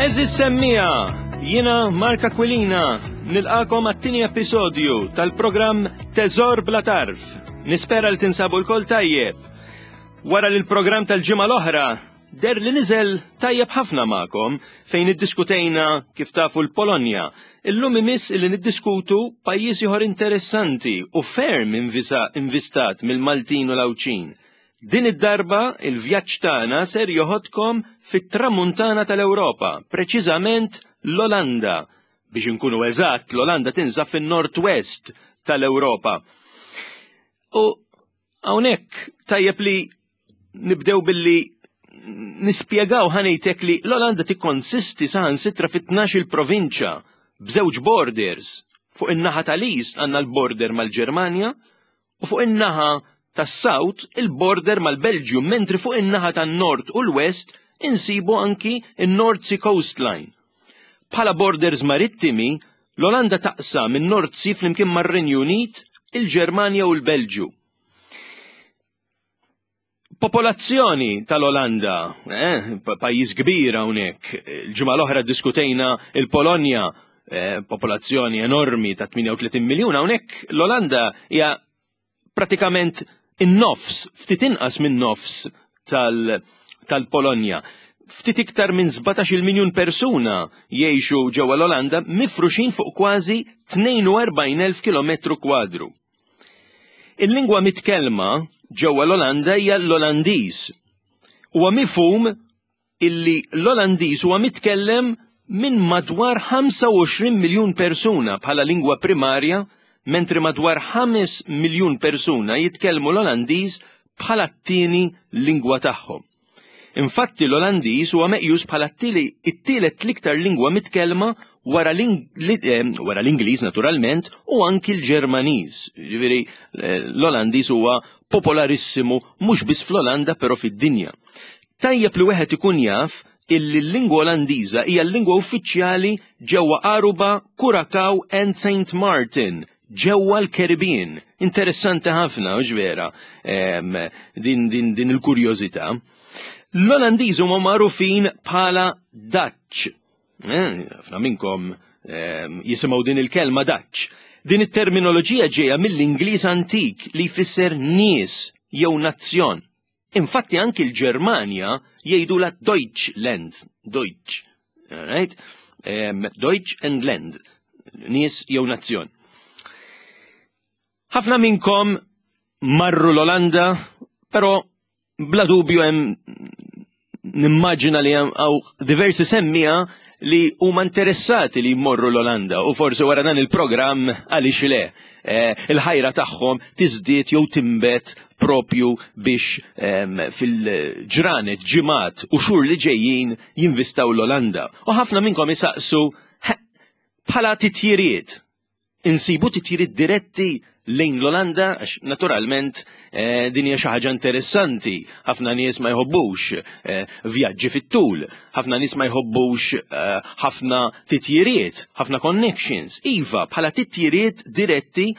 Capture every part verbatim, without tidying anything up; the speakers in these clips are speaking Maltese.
Għeżież semmiegħa, jiena Mark Aquilina, nilqagħkom għat-tieni episodju tal-programm Teżor Bla Tarf. Nispera li tinsabu lkoll tajjeb. Wara li l-programm tal-ġimgħa l-oħra deher li niżel tajjeb ħafna magħkom fejn iddiskutejna kif tafu l-Polonja. Illum imiss li niddiskutu pajjiż ieħor interessanti u ferm invistat mill-Maltin u l-Għawdxin. Din id-darba il-vjaġġ tagħna ser joħodkom fit-tramuntana tal-Ewropa, preċiżament l-Olanda. Biex inkunu eżatt, l-Olanda tinsab fin-Nord-West tal-Ewropa. U hawnhekk tajjeb li nibdew billi nispjegaw ħanejtek li l-Olanda tikkonsisti saħansitra fit-tnax il provinċja b'żewġ borders. Fuq in-naħa tal-East għandna l-border mal-Ġermanja u fuq in-naħa tas-South il-border mal-Belġium, mentri fuq in-naħa tan-Nord u l-West insibu anki in-North Sea Coastline. Bħala borders marittimi, l-Olanda taqsam in-North Sea flimkien mar-Renju Unit, il-Ġermanja u l-Belġju. Popolazzjoni tal-Olanda, eh, pajjiż kbir hawnhekk. Il-ġimgħa l-oħra diskutejna il-Polonja, eh, popolazzjoni enormi ta' tmienja u tletin miljun, hawnhekk l-Olanda hija pratikament in-nofs, ftit inqas minn nofs tal-Polonja. Ftit iktar minn sbatax-il miljun persuna jgħixu ġewwa l-Olanda mifruxin fuq kważi tnejn u erbgħin elf kilometru kwadru. Il-lingwa mitkellma ġewwa l-Olanda hija l-Olandiż. Huwa mifhum illi l-Olandiż huwa mitkellem minn madwar ħamsa u għoxrin miljun persuna bħala lingwa primarja, mentri madwar ħames miljun persuna jitkellmu l-Olandiż bħala t-tieni lingwa tagħhom. Infatti l-Olandiż huwa meqjus bħala t-tielet l-iktar lingwa mitkellma wara eh, l-Ingliż naturalment u anki l-Ġermaniż. Ġifieri eh, l-Olandiż huwa popolarissimu mhux biss fl-Olanda però fid-dinja. Tajjeb li wieħed ikun jaf illi l-lingwa Olandiża hija l-lingwa uffiċjali ġewwa Aruba, Curacao and Saint Martin ġewwa l-Caribbean. Interessanti ħafna, u vera, din, din, din il-kurjożità. L-Olandiż huma magħrufin bħala Dutch. Eh, ħafna minnkom jisimgħu din il-kelma Dutch. Din it-terminoloġija ġejja mill-Ingliż antik li jfisser nies jew nazzjon. Infatti anki l-Ġermanja jgħidu la Deutschland, Deutsch, right? Um, Deutsch and Land, nies jew nazzjon. Ħafna minnkom marru l-Olanda, però bla dubju hemm nimmaġina li hemm diversi semmiegħa li huma interessati li jmorru l-Olanda u forsi wara dan il-programm, għaliex le, eh, il-ħajra tagħhom tiżdied jew timbet propju biex fil-ġranet, ġimgħat u xhur li ġejjin jinvistaw l-Olanda. U ħafna minnkom isaqsu bħala titjiriet. Insibu titjiriet diretti lejn l-Olanda, għax naturalment eh, din hija xi ħaġa interessanti. Ħafna nies ma jħobbux eh, vjaġġi fit-tul, ħafna nies ma jħobbux eh, ħafna titjiriet, ħafna connections. Iva, bħala titjiriet diretti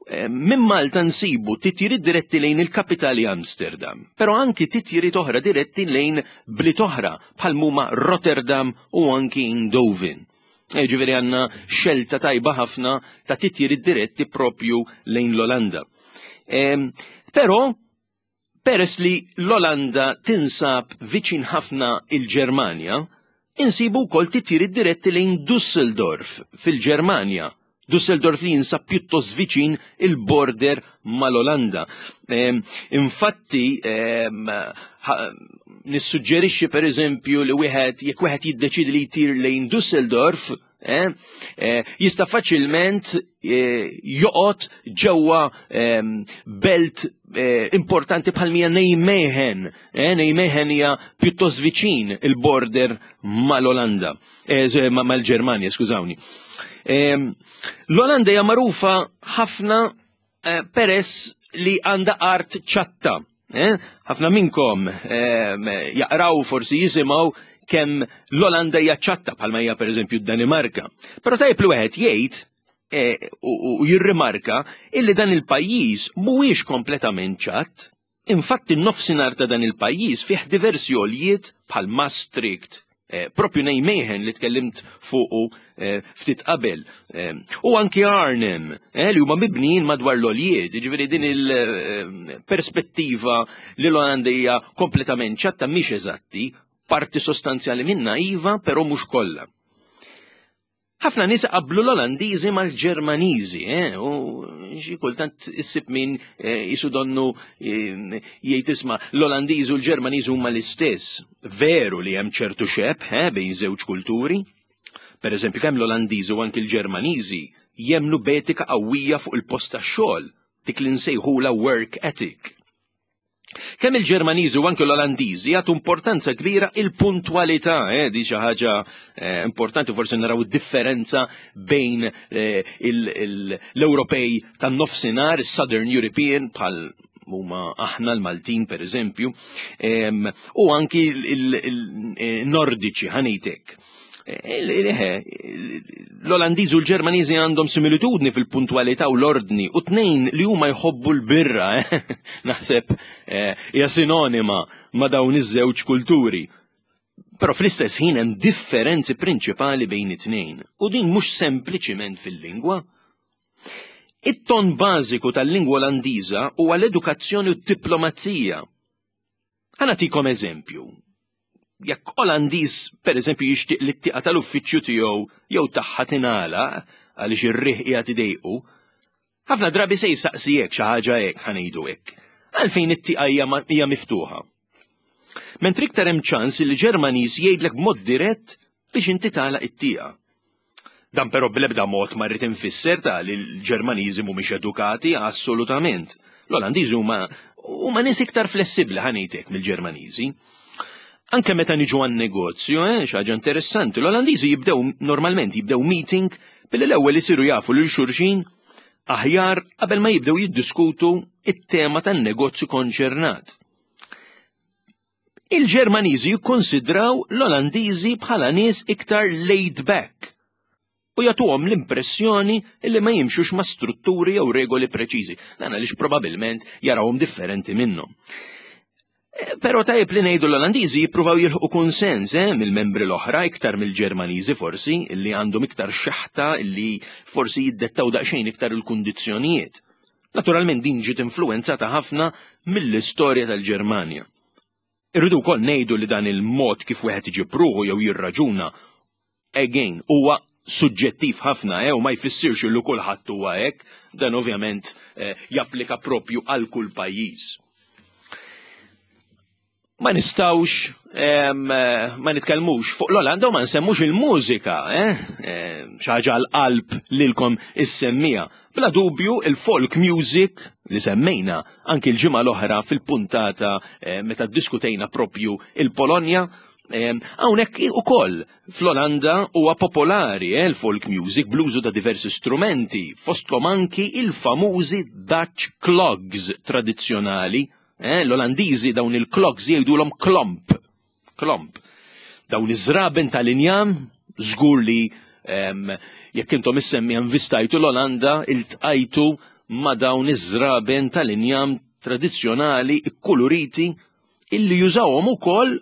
minn Malta nsibu titjiriet diretti lejn il-kapitali Amsterdam, però anki titjiriet oħra diretti lejn bliet oħra bħal huma Rotterdam u anki Eindhoven. Ġifieri għandna xelta tajba ħafna ta' titjiriet diretti propju lejn l-Olanda. Però, peress li l-Olanda tinsab viċin ħafna il-Ġermanja, insibu wkoll titjiriet diretti lejn Düsseldorf fil-Ġermanja. Düsseldorf li jinsab pjuttost viċin il-border mal-Olanda. Infatti, nissuġġerixxi per eżempju li wieħed jekk wieħed jiddeċidi li jtir lejn Düsseldorf, eh, eh, jista' faċilment eh, joqgħod ġewwa belt importanti bħal mija Nijmegen. Nijmegen hija pjuttost viċin il-border mal-Olanda, mal-Ġermanja, skużawni. L-Olanda hija magħrufa ħafna peress li għandha art ċatta. Eh? Ħafna minnkom jaqraw, forsi jisimgħu kemm l-Olanda hija ċatta bħalma hija pereżempju d-Danimarka. Però tajjeb li wieħed jgħid eh, u jirrimarka illi dan il-pajjiż mhuwiex kompletament ċatt. Infatti n-nofsinhar ta' dan il-pajjiż fih diversi għoljiet bħal Maastricht, Eh, propju Nijmegen li tkellimt fuqu eh, ftit qabel. Eh, u anki Arnhem, li huma mibnijin madwar l-għoljiet, ġifieri din il-perspettiva li l-Olanda hija kompletament ċatta mhix eżatti, parti sostanzjali minna iva, però mhux kollha. Ħafna nies qablu l-Olandiżi mal-Ġermaniżi, eh, u xi kultant issib min eh, jisu donnu eh, jgħid isma' l-Olandiżi u l-Ġermaniżi huma l-istess. Veru li hemm ċertu xebh eh, bejn żewġ kulturi. Per eżempju, kemm l-Olandiżi u anki l-Ġermaniżi jemnu b'etika qawwija fuq il-post tax-xogħol, dik li nsejħula work ethic. Kemm il-Ġermaniżi u anke l-Olandiżi jagħtu importanza kbira il-puntwalità, eh, di xi ħaġa eh, importanti forsi naraw differenza bejn eh, l-Ewropej tan-nofsinhar, is-Southern European bħal huma aħna l-Maltin per eżempju, u anki il-Nordiċi ħa ngħidlek. L-Olandiżi u l-Ġermaniżi għandhom similitudni fil-puntwalità u l-ordni u tnejn li huma jħobbu l-birra, eh? Naħseb eh, hija sinonima ma' dawn iż-żewġ kulturi. Però fl-istess ħin hemm differenzi prinċipali bejn it-tnejn u din mhux sempliċiment fil-lingwa. It-ton bażiku tal-lingwa Olandiża huwa l-edukazzjoni u d-diplomazija. Ħa nagħtikom eżempju. Jekk Olandiż per eżempju jixtieq li t-tieqa tal-uffiċċju tiegħu jew tagħha tingħalaq għaliex ir-riħ qiegħed idejqu, ħafna drabi se jsaqsi hekk xi ħaġa hekk ħa ngħidu hekk. Għalfejn it-tieqa hija miftuħa? Mentri iktar hemm ċans li Ġermaniż jgħidlek b'mod dirett biex inti tagħlaq it-tieqa. Dan però bl-ebda mod ma rrid infisser ta' li l-Ġermaniżi mhumiex edukati assolutament. L-Olandiżi huma huma nies iktar flessibbli ħa ngħidlek mill-Ġermaniżi. Anke meta niġu għan negozju, eh, xi ħaġa interessanti, l-Olandiżi jibdew normalment jibdew meeting billi l-ewwel isiru jafu lil xulxin aħjar qabel ma jibdew jiddiskutu it-tema tan-negozju konċernat. Il-Ġermaniżi jikkonsidraw l-Olandiżi bħala nies iktar laid back u jagħtuhom l-impressjoni li ma jimxux ma' strutturi jew regoli preċiżi, dan għaliex probabilment jarawhom differenti minnhom. Eh, Però tajjeb li ngħidu l-Olandiżi jippruvaw jilħqu konsens eh, mill-membri l-oħra iktar mill-Ġermaniżi forsi, illi għandhom iktar xeħta illi forsi jiddettaw daqsxejn iktar il-kundizzjonijiet. Naturalment din ġiet influenzata ħafna mill-istorja tal-Ġermanja. Irridu wkoll ngħidu li dan il-mod kif wieħed iġib ruħu jew jirraġuna again huwa suġġettiv ħafna eh, u ma jfissirx li kulħadd huwa hekk, dan ovvjament eh, japplika propju għal kull pajjiż. Ma nistawx em, eh, ma nitkellmux fuq l-Olanda u ma nsemmux il-mużika, eh? Eh, xi ħaġa għal-qalb lilkom issemmija. Bla dubju il-folk music li semmejna anki l-ġimgħa l-oħra fil-puntata eh, meta diskutejna propju il-Polonja, hawnhekk ukoll fl-Olanda huwa popolari eh, il-folk music bl-użu ta' diversi strumenti, fosthom anki il-famużi Dutch clogs tradizzjonali. Eh, L-Olandiżi dawn il-clogs jgħidulhom klomp. Klomp. Dawn iż-żraben tal-injam żgur li em, jekk intom issemmi invistajtu l-Olanda iltqajtu ma' dawn iż-żraben tal-injam tradizzjonali ikkuluriti illi jużawhom ukoll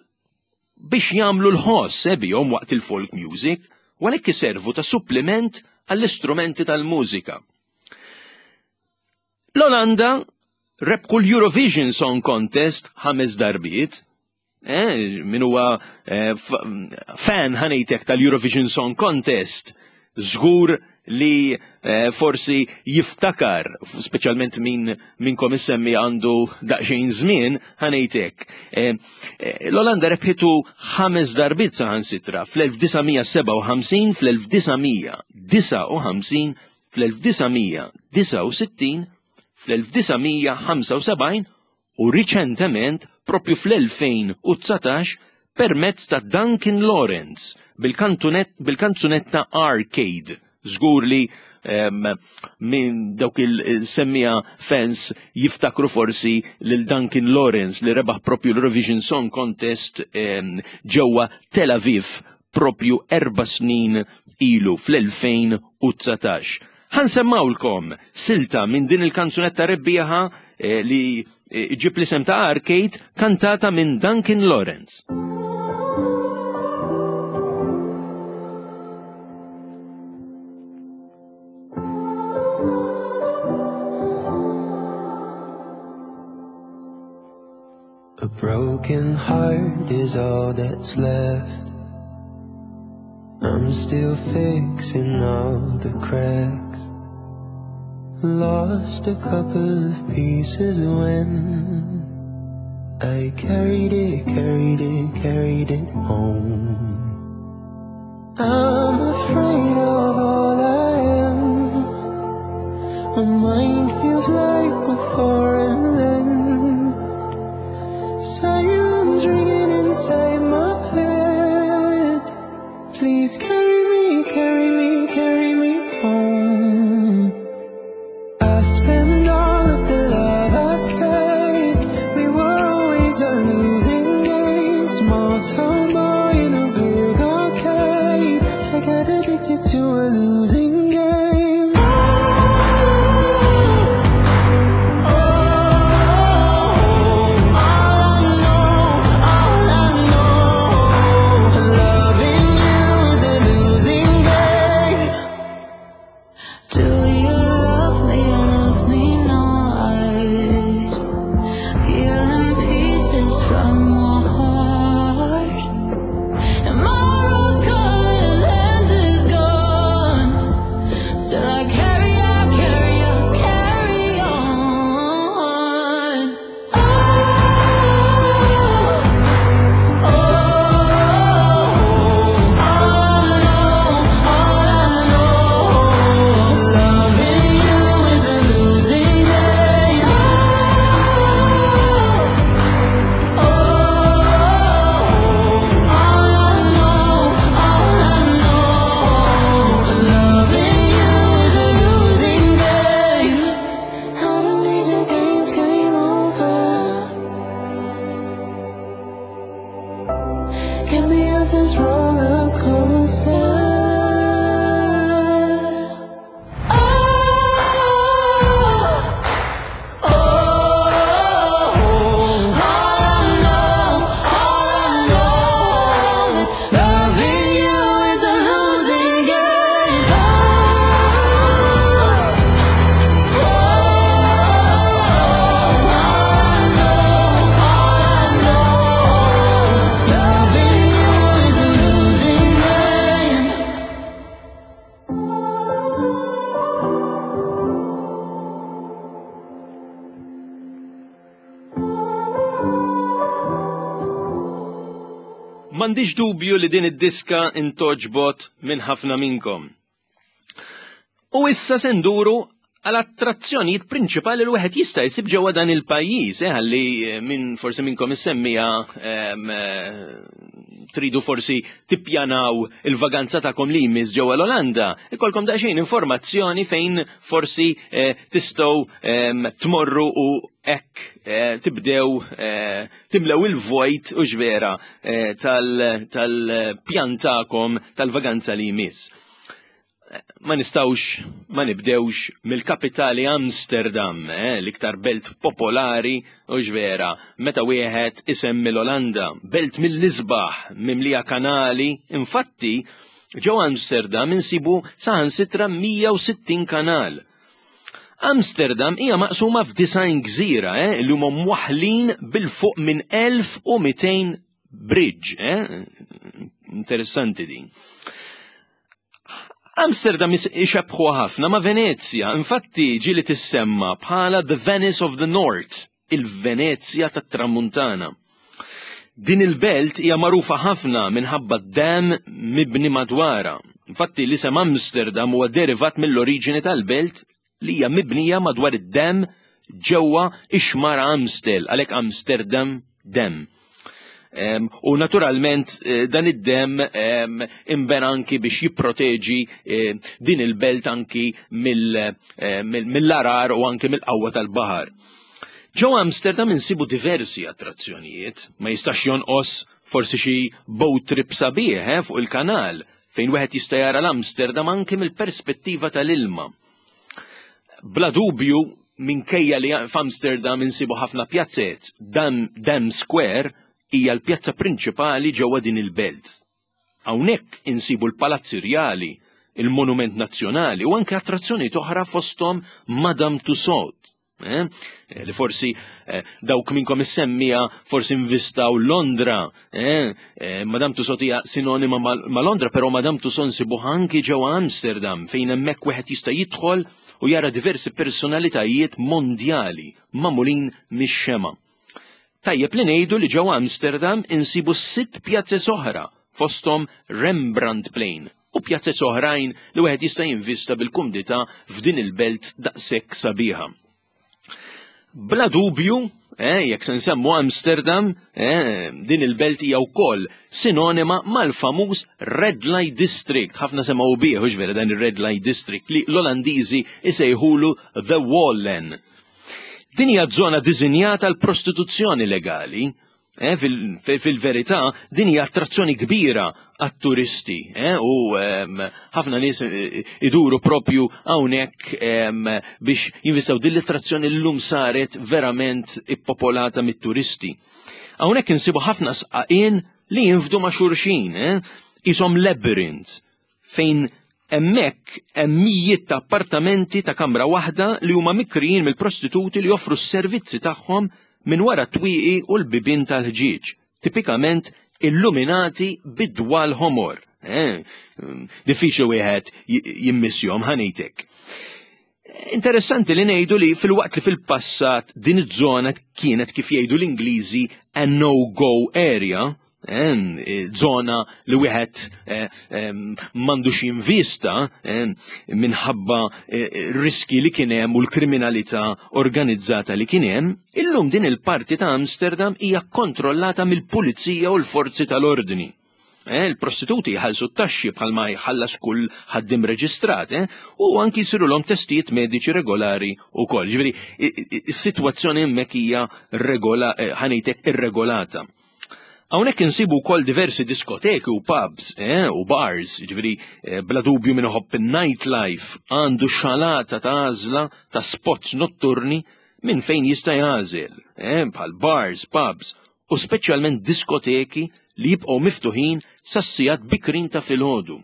biex jagħmlu l-ħoss eh, bihom waqt il-folk music u għalhekk iservu ta' supplement għall-istrumenti tal-mużika. L-Olanda rebħu l-Eurovision Song Contest ħames darbiet, eh, min huwa eh, fan ħa ngħidlek tal-Eurovision Song Contest, żgur li eh, forsi jiftakar, speċjalment min minnkom issemmi għandu daqsxejn żmien, ħa ngħidlek. Eh, eh, L-Olanda rebħitu ħames darbiet saħansitra fl-elf disa' mija sebgħa u ħamsin, fl-elf disa' mija disgħa u ħamsin, fl-elf disa' mija disgħa u sittin, fl-elf disa' mija ħamsa u sebgħin u riċentement propju fl-elfejn u dsatax permezz ta' Duncan Lawrence bil-kanzunetta Arcade. Żgur li um, minn dawk il-semmija fans jiftakru forsi lil Duncan Lawrence li rebaħ propju l-Eurovision Song Contest um, ġewwa Tel Aviv propju erba' snin ilu fl-elfejn u dsatax. Ħa nsemmgħulkom silta minn din il-kanzunetta rebbieħa eh, li eh, ġib l-isem ta' Arcade kantata minn Duncan Lawrence. A broken heart is all that's left. I'm still fixing all the cracks. Lost a couple of pieces when I carried it, carried it, carried it home. I'm afraid of all I am. My mind feels like a foreign land. Silence ringing inside my head. Please carry me, carry me, carry me home. I spend all of the love I saved. We were always a losing game. Small town boy in a big arcade. I got addicted to a losing game. Oh, oh, all I know, all I know, loving you is a losing game. Do you love me or love me not? Peeling pieces from my heart, and my rose-colored lens is gone. Still I carry, I carry, I carry on. Oh, oh, all I know, all I know, loving you is a losing game. Oh, all I know, all I know, loving you is a losing game. I don't need your games, game over. Get me off this roller coaster. Oh, Oh, all I know, all I know, loving you is a losing game. Oh, all I know, all I know, loving you is a losing game. M'għandix dubju li din id-diska intgħoġbot minn ħafna minnkom. U issa se nduru għal attrazzjonijiet prinċipali li wieħed jista' jsib ġewwa dan il-pajjiż, eh, ħalli eh, minn forsi minnkom issemmija em, eh, tridu forsi tippjanaw il-vaganza tagħkom li jmiss ġewwa l-Olanda. Ikolkom daqsxejn informazzjoni fejn forsi eh, tistgħu em, tmorru u hekk eh, tibdew eh, timlew il-vojt u ġvera eh, tal- tal-pjan tagħkom tal-vaganza li jmiss. Ma nistawx ma nibdewx mill-kapitali Amsterdam, eh, l-iktar belt popolari u ġvera, meta wieħed isemmi l-Olanda, belt mill-isbaħ, mimlija kanali, infatti ġew Amsterdam insibu saħansitra mija u sittin kanal. Amsterdam hija maqsuma f'disgħin gżira, eh, li huma mwaħlin bil-fuq minn elf u mitejn bridge, eh? Interessanti din. Amsterdam is- ixebħu ħafna ma' Venezia, infatti ġieli tissemma bħala the Venice of the North, il-Venezia tat-Tramuntana. Din il-belt hija magħrufa ħafna minħabba d-dam mibni madwara. Infatti l-isem Amsterdam huwa derivat mill-oriġini tal-belt li hija mibnija madwar id-dam ġewwa ix-xmara Amstel, għalhekk Amsterdam Dam. Em, u naturalment eh, dan id-dam em, imbena anki biex jipproteġi eh, din il-belt anki mill- eh, mill- mill-għargħar u anki mill-qawwa tal-baħar. Ġo Amsterdam insibu diversi attrazzjonijiet, ma jistax jonqos forsi xi boat trip sabiħ eh, fuq il-kanal fejn wieħed jista' jara l-Amsterdam anki mill-perspettiva tal-ilma. Bla dubju, minkejja li f'Amsterdam insibu ħafna pjazzet, Dam, Dam Square hija l-pjazza prinċipali ġewwa din il-belt. Hawnhekk insibu l-Palazzi Rjali, il-Monument Nazzjonali u anke attrazzjoni oħra fosthom Madame Tussauds. eh? Li forsi eh, dawk minnkom is-semmija forsi invistaw Londra, eh? eh, Madame Tussauds hija sinonima ma' Londra, però Madame Tussauds nsibuha anki ġewwa Amsterdam, fejn hemmhekk wieħed jista' jidħol u jara diversi personalitajiet mondjali magħmulin mix-xema. Tajjeb li ngħidu li ġewwa Amsterdam insibu sitt pjazez oħra, fosthom Rembrandtplein u pjazzez oħrajn li wieħed jista' jinvista bil-kumdità f'din il-belt daqshekk sabiħa. Bla dubju, eh, jekk se nsemmu Amsterdam, eh, din il-belt hija wkoll sinonima mal-famuż Red Light District. Ħafna semgħu bih, hux vera, dan ir-Red Light District li l-Olandiżi isejħulu The Wallen. Din hija żona diżinjata għal prostituzzjoni legali. Eh, fil-verità, din hija attrazzjoni kbira għat-turisti, eh, u ħafna nies eh, iduru propju hawnhekk biex jinvistaw din l-attrazzjoni. Llum saret verament ippopolata mit-turisti. Hawnhekk insibu ħafna sqaqien li jinfdu ma' xulxin, eh, qishom labyrinth, fejn hemmhekk hemm mijiet ta' appartamenti ta' kamra waħda li huma mikrijin mill-prostituti li joffru s-servizzi tagħhom minn wara twieqi u l-bibien tal-ħġieġ, tipikament illuminati bid-dwal ħomor. Eh, diffiċli wieħed jimmissjom, ħa ngħidlek. Interessanti li ngħidu li filwaqt li fil-passat din iż-żona kienet, kif jgħidu l-Ingliżi, a no-go area, eh, zona li wieħed eh, m'għandux jinvista eh, minħabba riski li kien hemm u l-kriminalità organizzata li kien hemm, illum din il-parti ta' Amsterdam hija kontrollata mill-pulizija u l-forzi tal-ordni. Eh, il-prostituti jħallsu t-taxxi bħalma jħallas kull ħaddim reġistrat, eh, u anki jsirulhom testijiet mediċi regolari wkoll. Ġifieri, is-sitwazzjoni hemmhekk hija regola, eh, ħa ngħidlek, irregolata. Hawnhekk insibu wkoll diversi diskoteki u pubs eh, u bars, ġifieri eh, bla dubju min iħobb nightlife għandu xalata ta' għażla ta' spots notturni minn fejn jista' jagħżel, eh, bħal bars, pubs u speċjalment diskoteki li jibqgħu miftuħin sas-sigħat bikrin ta' filgħodu.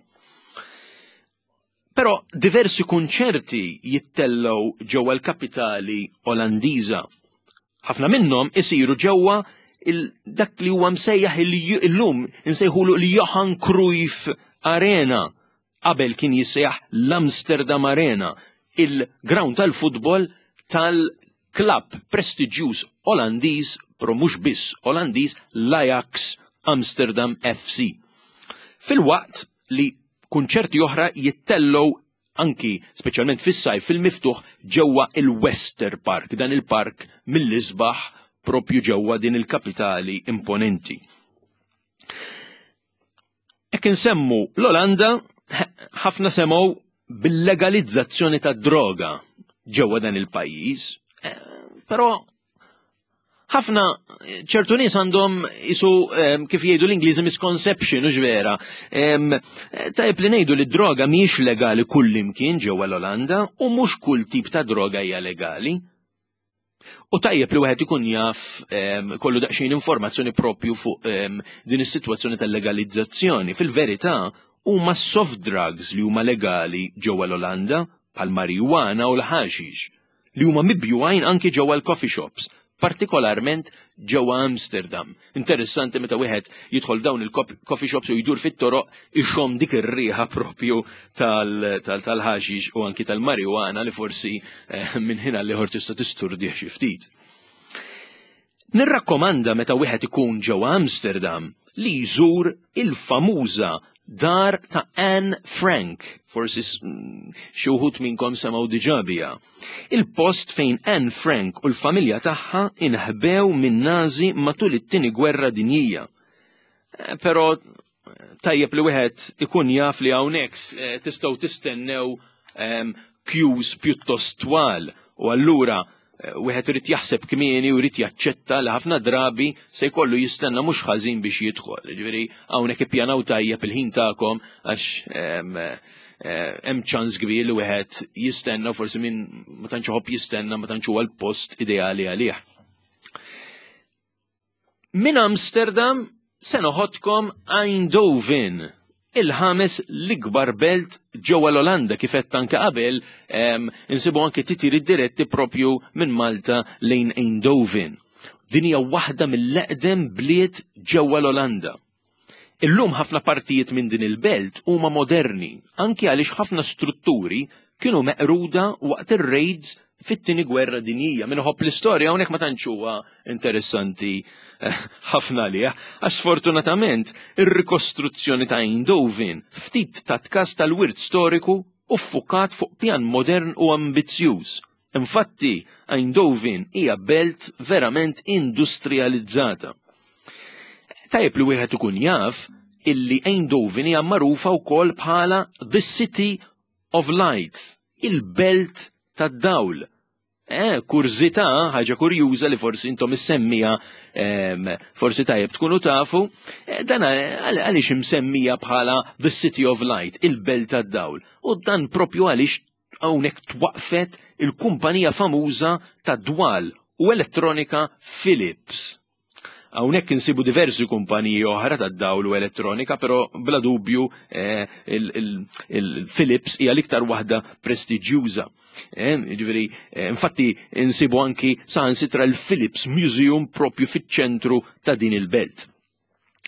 Però diversi kunċerti jittellgħu ġewwa l-kapitali Olandiża. Ħafna minnhom isiru ġewwa dak li huwa msejjaħ illum insejħulu l-Johan Cruyff Arena. Qabel kien jissejjaħ l-Amsterdam Arena, il-ground tal-futbol tal-klabb prestiġjuż Olandiż, però mhux biss Olandiż, l-Ajax Amsterdam F C. Filwaqt li kunċerti oħra jittellgħu anki speċjalment fis-sajf fil-miftuħ ġewwa il-Wester Park, dan il-park mill-isbaħ propju ġewwa din il-kapitali imponenti. Jekk insemmu l-Olanda, ħafna semgħu bil-legalizzazzjoni ta' droga ġewwa dan il-pajjiż, eh, però ħafna ċertu nies għandhom isu, kif jgħidu l-Ingliżi, misconception, u vera. Tajjeb li ngħidu li droga mhijiex legali kull imkien ġewwa l-Olanda u mhux kull tip ta' droga hija legali. U tajjeb li wieħed ikun jaf, kollu daqsxejn informazzjoni propju fuq din is-sitwazzjoni tal-legalizzazzjoni. Fil-verità huma soft drugs li huma legali ġewwa l-Olanda, bħal marijuana u l-ħaxix, li huma mibjugħin anki ġewwa l-coffee shops, partikolarment ġewwa Amsterdam. Interessanti meta wieħed jidħol dawn il-coffee shops u jdur fit-toroq, ixomm dik ir-riħa propju tal-ħaxix u anki tal-marijuana li forsi eh, minn ħin għal ieħor tista' tisturdih xi ftit. Nirrakkomanda meta wieħed ikun ġewwa Amsterdam li jżur il-famuża dar ta' Anne Frank, forsi mm, xi wħud minnkom semgħu diġà biha. Il-post fejn Anne Frank u l-familja tagħha inħbew minn Nazi matul it-Tieni Gwerra Dinjija. Eh, però tajjeb li wieħed ikun jaf li hawnhekk eh, tistgħu tistennew ehm, queues pjuttost twal u allura eh, wieħed irid jaħseb kmieni u jrid jaċċetta li ħafna drabi se jkollu jistenna mhux ħażin biex jidħol. Ġifieri hawnhekk ippjanaw tajjeb il-ħin tagħkom għax ehm, eh, hemm ċans kbir li wieħed jistenna, forsi min ma tantx iħobb jistenna ma tantx huwa l-post ideali għalih. Min Amsterdam se noħodkom Eindhoven. Il-ħames l-ikbar belt ġewwa l-Olanda. Kif qed anke qabel, insibu anke titjiriet diretti propju minn Malta lejn Eindhoven. Din hija waħda mill-eqdem bliet ġewwa l-Olanda. Illum ħafna partijiet minn din il-belt huma moderni, anki għaliex ħafna strutturi kienu meqruda waqt ir-raids fit-Tieni Gwerra Dinjija. Min iħobb l-istorja, hawnhekk ma tantx huwa interessanti eh, ħafna għalih, għax sfortunatament ir-rikostruzzjoni ta' Eindhoven ftit tat kas tal-wirt storiku u ffukat fuq pjan modern u ambizzjuż. Infatti, Eindhoven hija belt verament industrializzata. Tajjeb li wieħed ikun jaf illi Eindhoven hija magħrufa wkoll bħala The City of Light, il-belt tad-dawl. Eh, kurżità, ħaġa kurjuża li forsi intom issemmija, forsi tajjeb tkunu tafu, eh, dan għaliex imsemmija bħala The City of Light, il-belt tad-dawl? U dan propju għaliex hawnhekk twaqfet il-kumpanija famuża ta' dwal u elettronika Philips. Hawnhekk insibu diversi kumpaniji oħra ta' dawl u elettronika, però bla dubju eh, il-Philips hija l-iktar waħda prestiġjuża. Eh, ġifieri, eh, infatti insibu anki saħansitra l-Philips Museum propju fiċ-ċentru ta' din il-belt.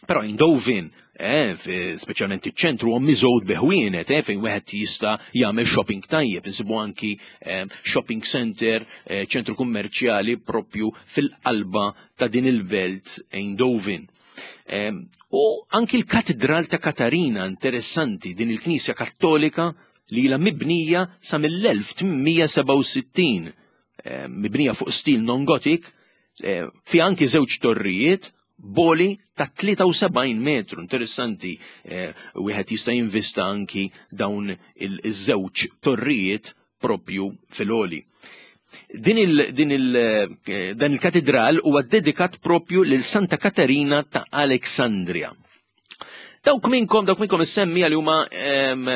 Però Eindhoven, eh, speċjalment iċ-ċentru, huwa miżgħud bi ħwienet, eh, fejn wieħed jista' jagħmel shopping tajjeb, insibu anki eh, shopping center, eh, ċentru kummerċjali propju fil-qalba ta' din il-belt Eindhoven. Eh, u anki l-Katedral ta' Katarina, interessanti, din il-Knisja Kattolika li ilha mibnija sa mill-elf tmien mija sebgħa u sittin, eh, mibnija fuq stil non-gothic, eh, fi anki żewġ torrijiet b'għoli ta' tlieta u sebgħin metru. Interessanti, eh, wieħed jista' jinvista anki dawn il-żewġ torrijiet propju fil-għoli. Din il, din il, eh, dan il-katedral huwa dedikat propju lil Santa Katarina ta' Alexandria. Dawk minnkom, dawk minnkom issemmija li huma em,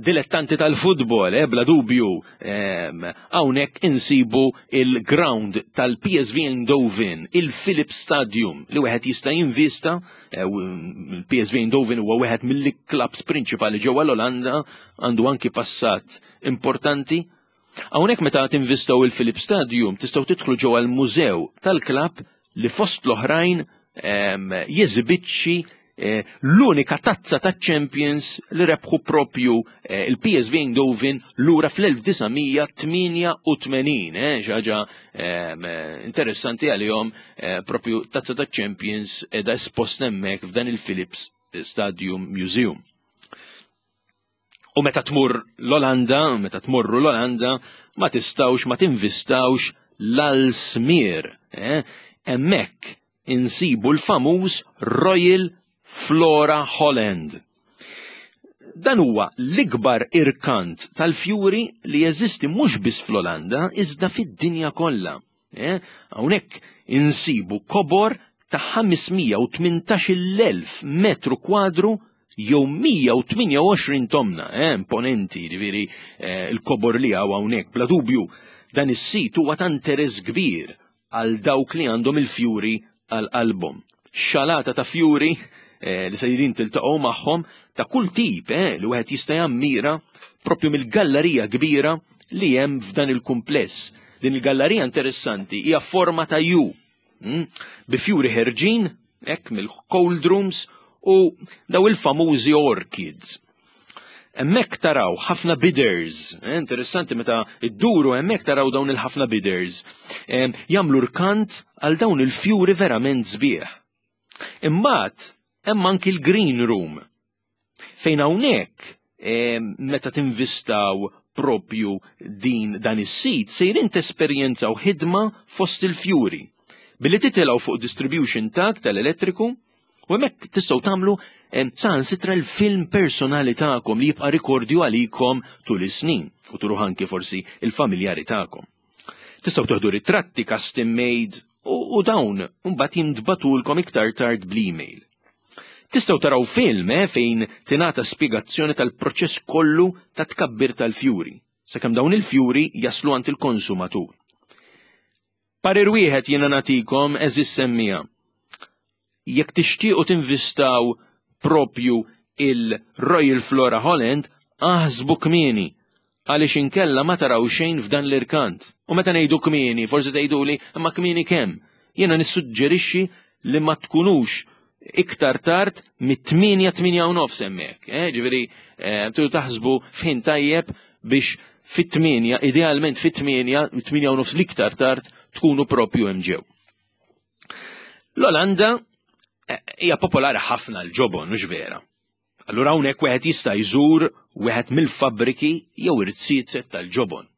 dilettanti tal-futbol, eh, bla dubju, em, hawnhekk insibu il-ground tal-P S V Eindhoven, il-Philips Stadium, li wieħed jista' jinvista. eh, il-P S V Eindhoven huwa wieħed mill-clubs prinċipali ġewwa l-Olanda, għandu anki passat importanti. Hawnhekk meta tinvistaw il-Philips Stadium tistgħu tidħlu ġewwa l-mużew tal-klabb li fost l-oħrajn em, jeżibixxi eh, l-unika tazza ta' Champions li rebħu propju eh, il-P S V Eindhoven lura fl-elf disa' mija tmienja u tmenin, eh, xi ħaġa em, eh, interessanti għalihom, eh, propju tazza ta' Champions edha espost hemmhekk f'dan il-Philips Stadium Museum. U meta tmur l-Olanda, meta tmorru l-Olanda, ma tistawx ma tinvistawx l-Aalsmeer. Eh? Hemmhekk insibu l-famuż Royal Flora Holland. Dan huwa l-ikbar irkant tal-fjuri li jeżisti mhux biss fl-Olanda iżda fid-dinja kollha. Eh? Hawnhekk insibu kobor ta' ħames mija u tmintax-il elf metru kwadru jew mija u tmienja u għoxrin tomna, eh, imponenti, ġifieri eh, il-kobor li hawn hawnhekk. Bla dubju, dan is-sit huwa ta' interess kbir għal dawk li għandhom il-fjuri għal qalbhom. Xalata ta' fjuri eh, li sejrin tiltaqgħu magħhom ta' kull tip eh, li wieħed jista' jammira propju mill-gallerija kbira li hemm f'dan il-kumpless. Din il-gallerija interessanti hija forma ta' U, mm, bi fjuri ħerġin hekk mill-cold rooms u daw il-famużi orchids. Hemmhekk taraw ħafna bidders, eh, interessanti meta idduru hemmhekk taraw dawn il-ħafna bidders, eh, jagħmlu rkant għal dawn il-fjuri verament sbieħ. Imbagħad hemm anki l-green room fejn hawnhekk eh, meta tinvistaw propju din dan is-sit sejrin tesperjenzaw ħidma fost il-fjuri billi titilgħu fuq distribution tag tal-elettriku u hemmhekk tistgħu tagħmlu saħansitra l-film personali tagħkom li jibqa' rikordju għalikom tul is-snin u turuh anki forsi il-familjari tagħkom. Tistgħu toħdu ritratti custom made u, u dawn mbagħad jintbagħtulkom iktar tard bl-email. Tistgħu taraw film eh, fejn tingħata spjegazzjoni tal-proċess kollu ta' tkabbir tal-fjuri, sakemm dawn il-fjuri jaslu għand il-konsumatur. Parir wieħed jiena nagħtikom, għeżież semmiegħa. Jekk tixtiequ tinvistaw propju il-Royal Flora Holland, aħsbu kmieni, għaliex inkella ma taraw xejn f'dan l-irkant. U meta ngħidu kmieni, forsi tgħiduli, imma kmieni kemm? Jiena nissuġġerixxi li ma tkunux iktar tard mit-tmienja, tmienja u nofs hemmhekk. Eh? Ġifieri, eh, tridu taħsbu f'ħin tajjeb biex fit-tmienja, idealment fit-tmienja, tmienja u nofs l-iktar tard, tkunu propju hemm ġew. L-Olanda eh, hija popolari ħafna l-ġobon, mhux vera? Allura hawnhekk wieħed jista' jżur wieħed mill-fabbriki jew irziezet tal-ġobon.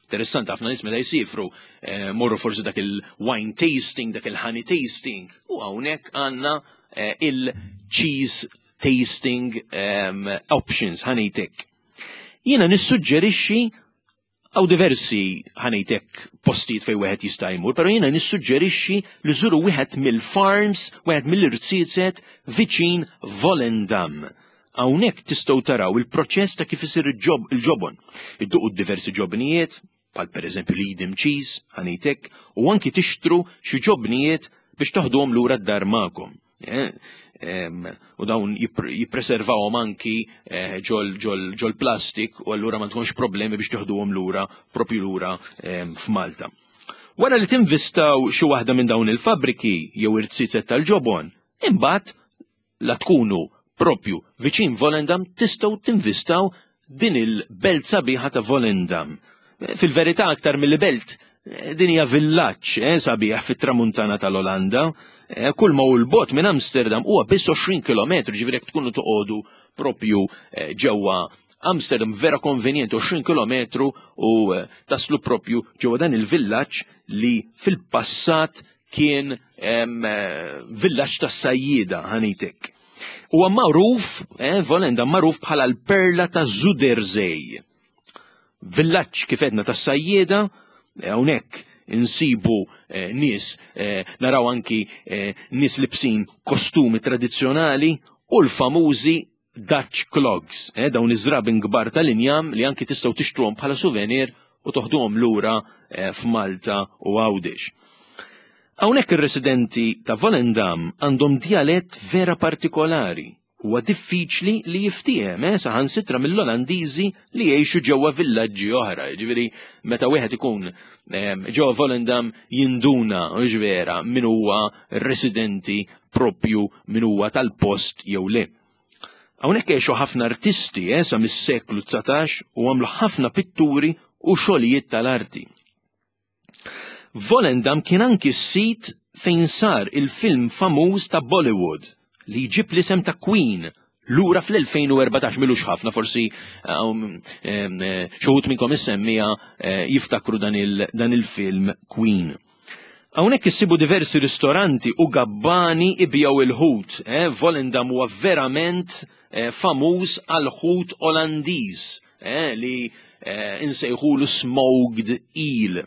Interessanti ħafna nies meta jsifru eh, morru forsi dak il-wine tasting, dak il-honey tasting, u hawnhekk għandna eh, il-cheese tasting um, options, ħa ngħidlek. Jiena nissuġġerixxi hawn diversi, ħa ngħidlek, postijiet fej wieħed jista' jmur, però jiena nissuġġerixxi li żuru wieħed mill-farms, wieħed mill-irziezet viċin Volendam. Hawnhekk tistgħu taraw il-proċess ta' kif isir il-ġobon. Idduqu diversi ġobnijiet, bħal pereżempju l-Edam cheese, ħa ngħidlek, u anki tixtru xi ġobnijiet biex toħduhom lura d-dar magħkom. Eh, u dawn jippreservawhom anki eh, ġol ġol plastik u allura ma tkunx problemi biex toħduhom lura propju lura f'Malta. Wara li tinvistaw xi waħda minn dawn il-fabriki jew irziezet tal-ġobon, imbagħad la tkunu propju viċin Volendam tistgħu tinvistaw din il-belt sabiħa ta' Volendam. Fil-verità aktar mill-belt, din hija villaġġ eh, sabiħ fit-tramuntana tal-Olanda. Eh, kull ma hu l-bogħod minn Amsterdam huwa biss għoxrin kilometru, ġifieri jekk tkunu toqogħdu propju eh, ġewwa Amsterdam vera konvenjenti, għoxrin kilometru u eh, taslu propju ġewwa dan il-villaġġ li fil-passat kien villaġġ tas-sajjieda, ħa ngħidlek. Huwa magħruf, eh, Volendam magħruf bħala l-perla ta' Zuiderzee. Villaġġ kif għedna tas-sajjieda, hawnhekk insibu eh, nies, eh, naraw anki eh, nies libsin kostumi tradizzjonali u l-famużi Dutch clogs, eh, dawn iż-żraben kbar tal-injam li anki tistgħu tixtruhom bħala souvenir u toħduhom lura eh, f'Malta u Għawdex. Hawnhekk ir-residenti ta' Volendam għandhom dialett vera partikolari. Huwa diffiċli li jiftiehem, eh, saħansitra mill-Olandiżi li jgħixu ġewwa villaġġi oħra. Ġifieri meta wieħed ikun eh, ġewwa Volendam jinduna, mhux vera, min huwa residenti propju, min huwa tal-post jew le. Hawnhekk għexu ħafna artisti eh, sa mis-seklu dsatax u għamlu ħafna pitturi u xogħlijiet tal-arti. Volendam kien anki s-sit fejn sar il-film famuż ta' Bollywood li jġib l-isem ta' Queen lura fl-elfejn u erbatax, milux ħafna, forsi um, em, eh, xi wħud minnkom is-semmija, eh, jiftakru dan il-, dan il-film Queen. Hawnhekk issibu diversi ristoranti u gabbani ibjaw il-ħut. Eh? Volendam huwa verament, eh, famuż għal-ħut Olandiż, eh, li, eh, insejħulu smoked eel.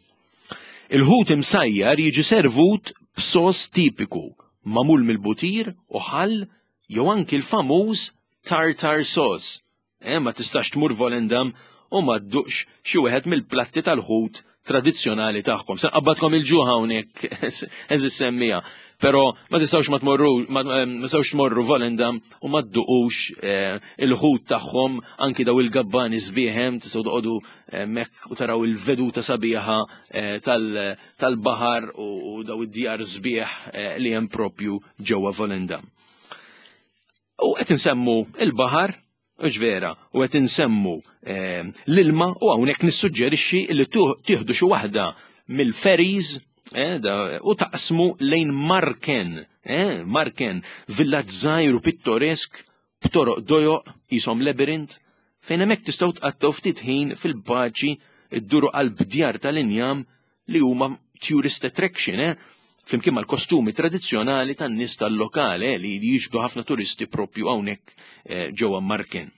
Il-ħut imsajjar jiġi servut b'sos tipiku, magħmul mill-butir u ħall jew anki l-famuż tartar sauce. Eh, ma tistax tmur Volendam u ma dduqx xi wieħed mill-platti tal-ħut tradizzjonali tagħhom. Se nqabbadkom il-ġuħ hawnhekk, eżis semmija. Però ma tistgħux ma tmorru, ma, ma tistgħux tmorru Volendam u ma dduqux, eh, il-ħut tagħhom, anki daw il-gabbani sbieħem, tistgħu toqogħdu hemmhekk u taraw il-veduta sabiħa, eh, tal-, tal-baħar u, u daw id-djar sbieħ, eh, li hemm propju ġewwa Volendam. U qed insemmu il-baħar, hux vera, u qed insemmu, eh, l-ilma, u hawnhekk nissuġġerixxi li tuh-, tieħdu xi waħda mill-ferries, eh, da, u taqsmu lejn Marken, eh, Marken, villaġġ żgħir u pittoresk, b'toroq dojoq, qishom labirint, fejn hemmhekk tistgħu tqattgħu ftit ħin fil-paċi dduru qalb djar tal-injam li huma tourist attraction, eh, flimkien mal-kostumi tradizzjonali tan-nies tal-lokale, eh, li jiġbdu ħafna turisti propju hawnhekk, eh, ġewwa Marken.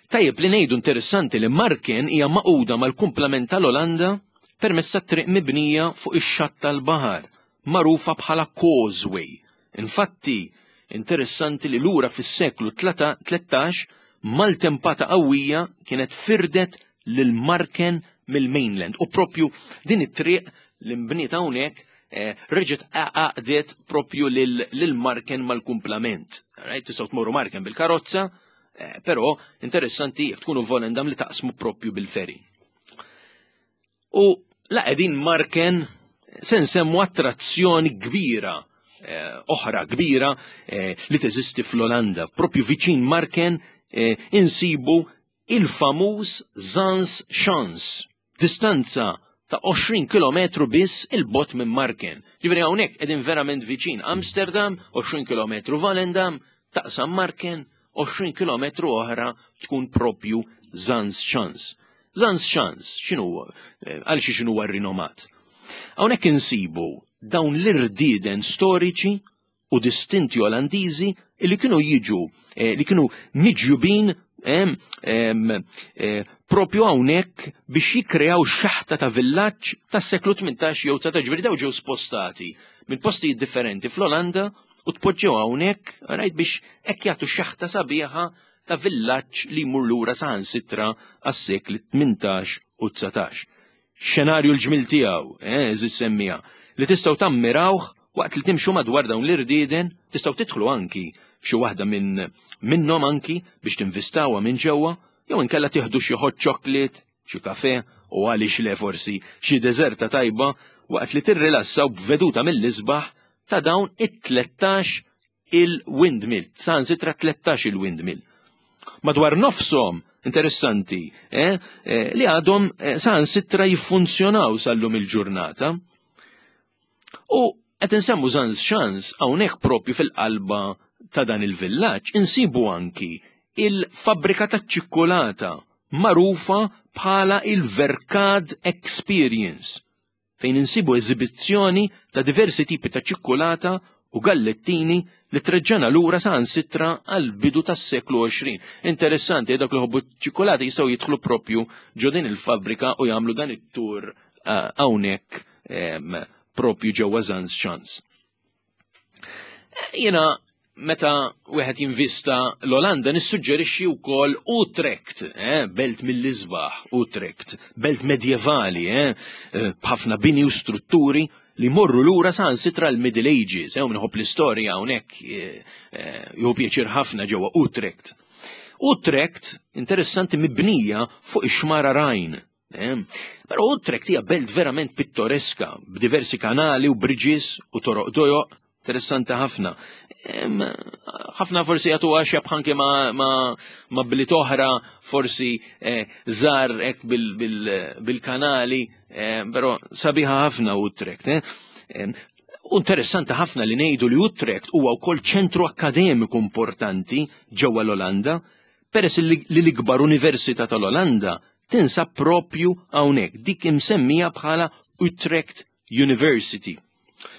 Tajjeb li ngħidu interessanti li Marken hija maquda mal-kumplament tal-Olanda permezz ta' triq mibnija fuq ix-xatt tal-baħar, magħrufa bħala Causeway. Infatti, interessanti li lura fis-seklu tlata-, tlettax maltempata qawwija kienet firdet lil Marken mill-mainland u propju din it-triq li nbniet hawnhekk, eh, reġgħet għaqdet propju lil Marken mal-kumplament. Right? Tistgħu tmorru Marken bil-karozza, eh, però interessanti jekk tkunu Volendam li taqsmu propju bil-ferry. U la qegħdin Marken se nsemmu attrazzjoni kbira, eh, oħra kbira eh, li teżisti fl-Olanda. Propju viċin Marken eh, insibu il-famuż Zaanse Schans, distanza ta' għoxrin kilometru biss 'il bogħod minn Marken. Ġifieri hawnhekk qegħdin verament viċin Amsterdam, għoxrin kilometru Volendam, taqsam Marken, għoxrin kilometru oħra tkun propju Zaanse Schans. Zaanse Schans, x'inhu eh, għal xi x'inhu rinomat? Hawnhekk insibu dawn l-irdieden storiċi u distinti Olandiżi li kienu jiġu, eh, li kienu miġjubin em, em, eh, propju hawnhekk biex jikkreaw xaħta ta' villaġġ tas-seklu tmintax jew dsatax. Ġifieri daw ġew spostati minn postijiet differenti fl-Olanda u tpoġġew hawnhekk, rajt, biex hekk jagħtu xaħta sabiħa ta' villaġġ li jmur lura saħansitra għas-sekli tmintax u dsatax. Xenarju l-ġmil tiegħu, eh, eżis semmija, li tistgħu tammirawh waqt li timxu madwar dawn l-irdieden, tistgħu tidħlu anki f'xi waħda minn minnhom anki biex tinvistawha minn ġewwa, jew inkella tieħdu xi hot chocolate, xi kafe u għaliex le forsi xi deżerta tajba waqt li tirrilassaw b'veduta mill-isbaħ ta' dawn it-tlettax il-windmill, saħansitra tlettax il-windmill. Madwar nofshom, interessanti, eh, eh, li għadhom eh, saħansitra jiffunzjonaw sal-lum il-ġurnata. U qed insemmu Zaanse Schans, hawnhekk propju fil-qalba ta' dan il-villaġġ insibu anki il-fabbrika ta' ċikkulata marufa bħala il-Verkade Experience, fejn insibu eżibizzjoni ta' diversi tipi ta' ċikkulata u gallettini li treġġana lura saħansitra għal bidu tas-seklu għoxrin. Interessanti, dak li jħobbu ċikkulata jistgħu jidħlu propju ġo din il-fabbrika u jagħmlu dan it-tur eh, hawnhekk em, propju ġewwa Zaanse Schans. Jiena meta wieħed jinvista l-Olanda nissuġġerixxi wkoll Utrecht, eh, belt mill-isbaħ, Utrecht, belt medjevali, eh, eh, b'ħafna bini u strutturi li morru lura saħansitra l-Middle Ages, eh, u min iħobb l-istorja hawnhekk eh, eh, jieħu pjaċir ħafna ġewwa Utrecht. Utrecht, interessanti, mibnija fuq ix-xmara Rajn. Eh? Però Utrecht hija belt verament pittoreska, b'diversi kanali u bridges u toroq dojoq, interessanti ħafna. Em, ħafna forsi jagħtu għax anke ma, ma, ma bliet oħra forsi eh, żgħar hekk bil- bil- bil-kanali, eh, però sabiħa ħafna Utrecht. Eh? Em, U interessanti ħafna li ngħidu li Utrecht huwa wkoll ċentru akkademiku importanti ġewwa l-Olanda, peress li li l-ikbar università tal-Olanda tinsab propju hawnhekk, dik imsemmija bħala Utrecht University.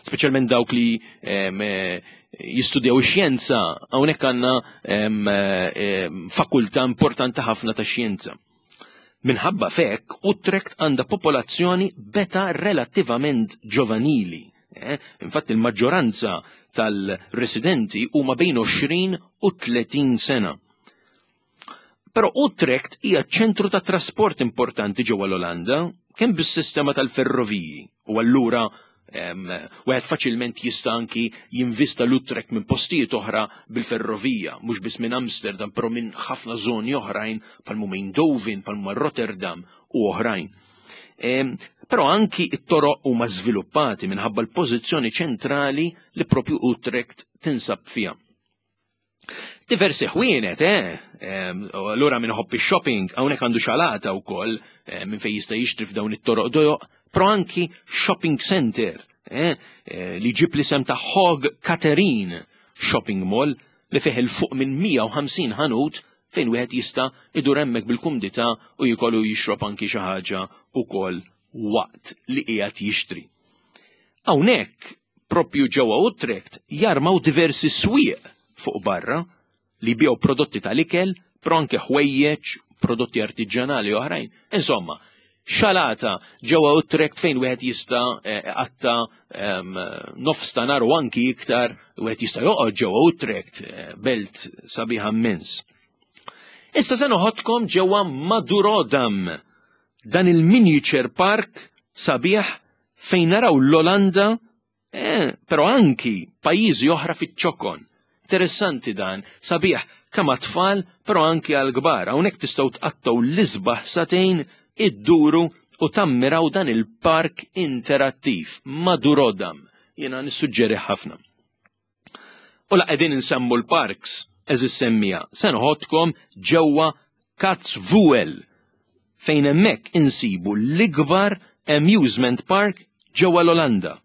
Speċjalment dawk li em, eh, jistudjaw ix-xjenza, hawnhekk għandna em, eh, em, fakultà importanti ħafna ta' xjenza. Minħabba fek, Utrecht għandha popolazzjoni b'età relattivament ġovanili. Eh? Infatti il-maġġoranza tal-residenti huma bejn għoxrin u tletin sena. Però Utrecht hija ċentru ta' trasport importanti ġewwa l-Olanda, kemm bis-sistema tal-ferroviji, u allura em, wieħed faċilment jista' anki jinvista l-Utrecht minn postijiet oħra bil-ferrovija, mhux biss minn Amsterdam, però minn ħafna żoni oħrajn bħal huma Eindhoven, bħal huma Rotterdam u oħrajn. Em, Però anki it-toroq huma żviluppati minħabba l-pożizzjoni ċentrali li propju Utrecht tinsab fiha. Diversi ħwienet, eh? Em, u Allura min iħobb shopping hawnhekk għandu xalata wkoll eh, minn fejn jista' jixtri f'dawn it-toroq dojoq, però anki shopping center, eh? eh, li ġib l-isem ta' Hoog Catharijne Shopping Mall li fih 'il fuq minn mija u ħamsin ħanut fejn wieħed jista' idur hemmhekk bil-kumdità u jikollu jixrob anki xi ħaġa ukoll waqt li qiegħed jixtri. Hawnhekk propju ġewwa Utrecht jarmaw diversi swieq fuq barra li jbigħu prodotti tal-ikel, però anke ħwejjeġ, prodotti artiġjanali oħrajn. Insomma, xalata ġewwa Utrecht fejn wieħed jista' eh, qatta em, nofs ta' nhar u anki iktar, wieħed jista' joqgħod ġewwa Utrecht, eh, belt sabiħa immens. Issa se noħodkom ġewwa Madurodam, dan il-miniature park sabiħ fejn naraw l-Olanda eh, però anki pajjiżi oħra fiċ-ċokon. Interessanti dan, sabiħ kemm għat-tfal, però anki għal-kbar. Hawnhekk tistgħu tqattgħu l-isbaħ sagħtejn idduru u tammiraw dan il-park interattiv Madurodam. Jiena nissuġġeri ħafna. U la qegħdin insemmu l-parks, għeżież semmiegħa, se noħodkom ġewwa Kaatsheuvel, fejn hemmhekk insibu l-ikbar amusement park ġewwa l-Olanda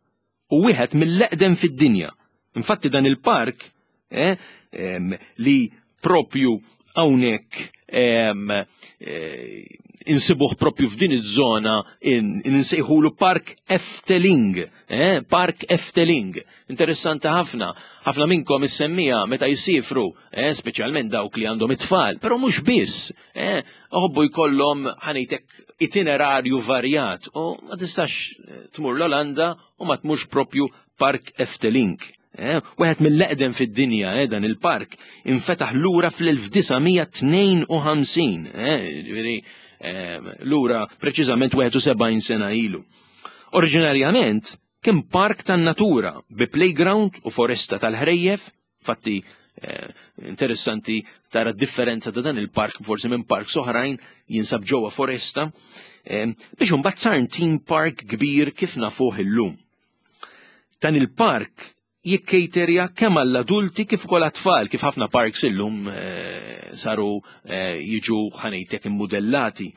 u wieħed mill-eqdem fid-dinja. Infatti dan il-park eh, em, li propju hawnhekk em, eh, insibuh propju f'din iż-żona insejħulu Park Efteling, eh, Park Efteling. Interessanti ħafna, ħafna minnkom is-semmiegħa meta jisifru, eh, speċjalment dawk li għandhom it-tfal, però mhux biss, eh, iħobbu jkollhom, ħa ngħidlek, itinerarju varjat u ma tistax eh, tmur l-Olanda u ma tmurx propju Park Efteling. Eh, wieħed mill-eqdem fid-dinja, eh, dan il-park infetaħ lura fl-elf disa' mija tnejn u ħamsin, eh, ġifieri eh, lura preċiżament wieħed u sebgħin sena ilu. Oriġinarjament kien park tan-natura bi playground u foresta tal-ħrejjef, fatti eh, interessanti tara differenza ta' dan il-park forsi minn park oħrajn, jinsab ġewwa foresta, eh, biex imbagħad sar theme park kbir kif nafuh illum. Dan il-park jikkejterja kemm għall-adulti kif ukoll għat-tfal, kif ħafna parks illum eh, saru eh, jiġu, ħa ngħidlek, immodellati.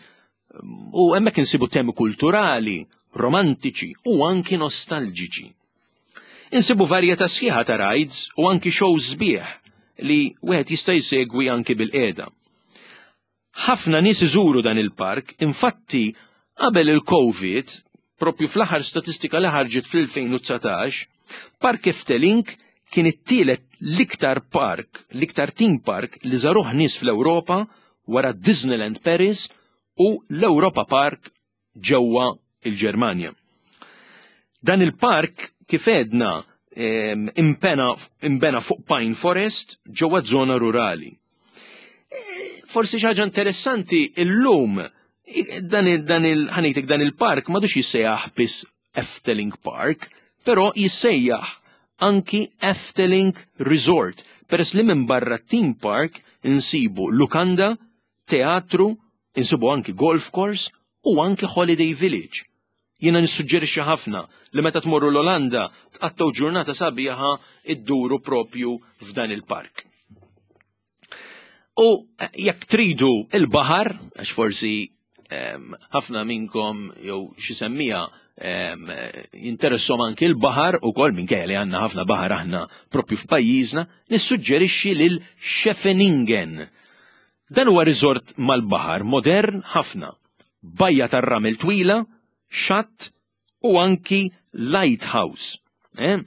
U hemmhekk insibu temi kulturali, romantiċi u anki nostalġiċi. Insibu varjetà sħiħa ta' rides u anki shows sbieħ li wieħed jista' jsegwi anki bil-qiegħda. Ħafna nies iżuru dan il-park, infatti qabel il-Covid, propju fl-aħħar statistika li ħarġet fl-elfejn u dsatax, Park Efteling kien it-tielet l-iktar park, l-iktar theme park li żaruh nies fl-Ewropa wara Disneyland Paris u l-Europa Park ġewwa il-Ġermanja. Dan il-park, kif għedna, imbena, imbena fuq Pine Forest ġewwa żona rurali. E, forsi xi ħaġa interessanti, illum dan il dan il ħa ngħidlek, dan il-park m'għadux jissejjaħ biss Efteling Park, però jissejjaħ anki Efteling Resort, peress li minn barra theme park insibu lukanda, teatru, insibu anki golf course u anki Holiday Village. Jiena nissuġġerixxi ħafna li meta tmorru l-Olanda tqattgħu ġurnata sabiħa idduru propju f'dan il-park. U jekk tridu il-baħar, għax forsi ħafna minnkom jew xi semmiegħa jinteressom anki l-baħar u kol, minkejja li għandna ħafna baħar aħna propju f'pajjiżna, nissuġġerixxi lil Scheveningen. Dan huwa resort mal-baħar modern ħafna. Bajja tar-ramel twila, xatt u anki lighthouse. Eh?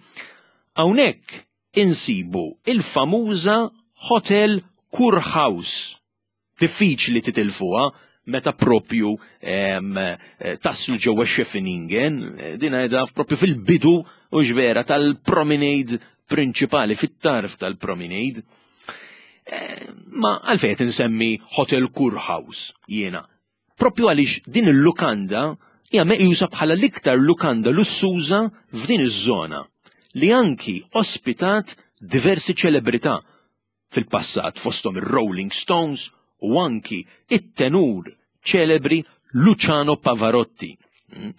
Hawnhekk insibu il-famuża Hotel Kurhaus. Diffiċli titilfuha meta propju em, eh, taslu ġewwa Scheveningen, eh, din qiegħda propju fil-bidu u ġvera tal-promenade prinċipali, fit-tarf tal-promenade. Eh, ma għalfejn insemmi Hotel Kurhaus jiena? Propju għaliex din il-lukanda hija meqjusa bħala l-iktar lukanda lussuża f'din iż-żona li anki ospitat diversi ċelebrità fil-passat, fosthom ir-Rolling Stones u anki it-tenur ċelebri Luciano Pavarotti. Mm.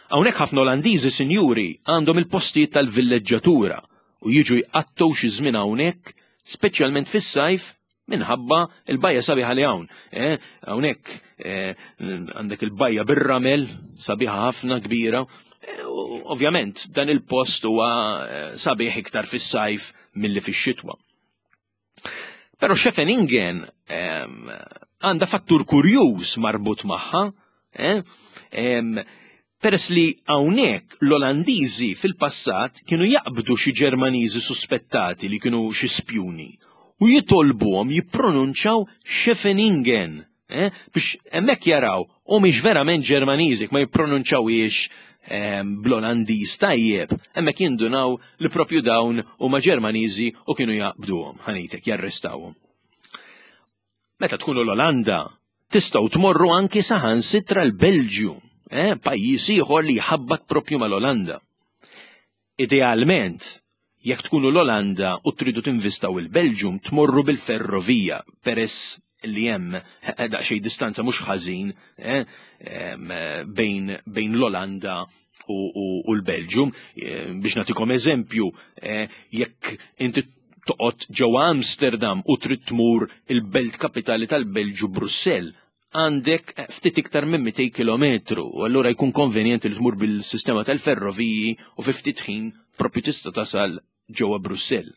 Hawnhekk ħafna Olandiżi sinjuri għandhom il-postijiet tal-villeġġatura u jiġu jqattgħu xi żmien hawnhekk, speċjalment fis-sajf, minħabba il-bajja sabiħa li hawn. Eh, hawnhekk eh, għandek il-bajja bir-ramel, sabiħa ħafna, kbira. Eh, u ovvjament dan il-post huwa eh, sabiħ iktar fis-sajf milli fix-xitwa. Però Scheveningen ehm, għandha fattur kurjuż marbut magħha, eh? Em, peress li hawnhekk l-Olandiżi fil-passat kienu jaqbdu xi Ġermaniżi suspettati li kienu xi spjuni u jitolbuhom jippronunċaw Scheveningen, eh? biex hemmhekk jaraw u mhix verament Ġermaniżi ma jippronunċawhiex em, bl-Olandiż tajjeb, hemmhekk jindunaw li propju dawn huma Ġermaniżi u kienu jaqbduhom, ħa ngħidlek, jarrestawhom. Meta tkunu l-Olanda, tistgħu tmorru anki saħansitra l-Belġju, eh, pajjiż ieħor li jħabbat propju mal-Olanda. Idealment, jekk tkunu l-Olanda u tridu tinvistaw il-Belġium, tmorru bil-ferrovija, peress li hemm daqsxejn distanza mhux ħażin eh, bejn, bejn l-Olanda u, u, u l-Belġium. Eh, biex nagħtikom eżempju, eh, jekk inti toqgħod ġewwa Amsterdam u trid tmur il-belt kapitali tal-Belġju, Brussell, għandek ftit iktar minn mitejn kilometru, u allura jkun konvenjenti li tmur bil-sistema tal-ferroviji u fi ftit ħin propju tista' tasal ġewwa Brussell.